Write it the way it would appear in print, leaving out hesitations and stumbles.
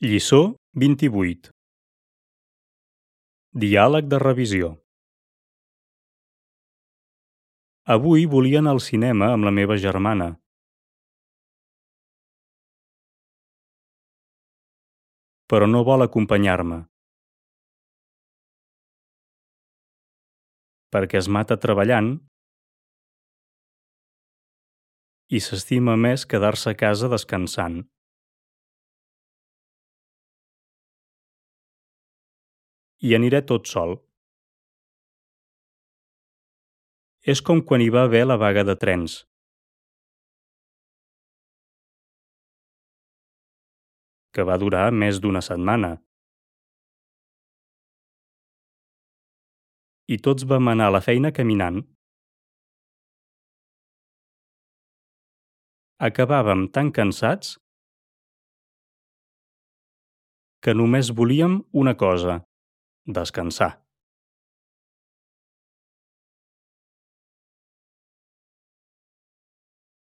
Lliçó 28. Diàleg de revisió. Avui volia anar al cinema amb la meva germana. Però no vol acompanyar-me. Perquè es mata treballant i s'estima més quedar-se a casa descansant. I aniré tot sol. És com quan hi va haver la vaga de trens. Que va durar més d'una setmana. I tots vam anar a la feina caminant. Acabàvem tan cansats que només volíem una cosa: descansar.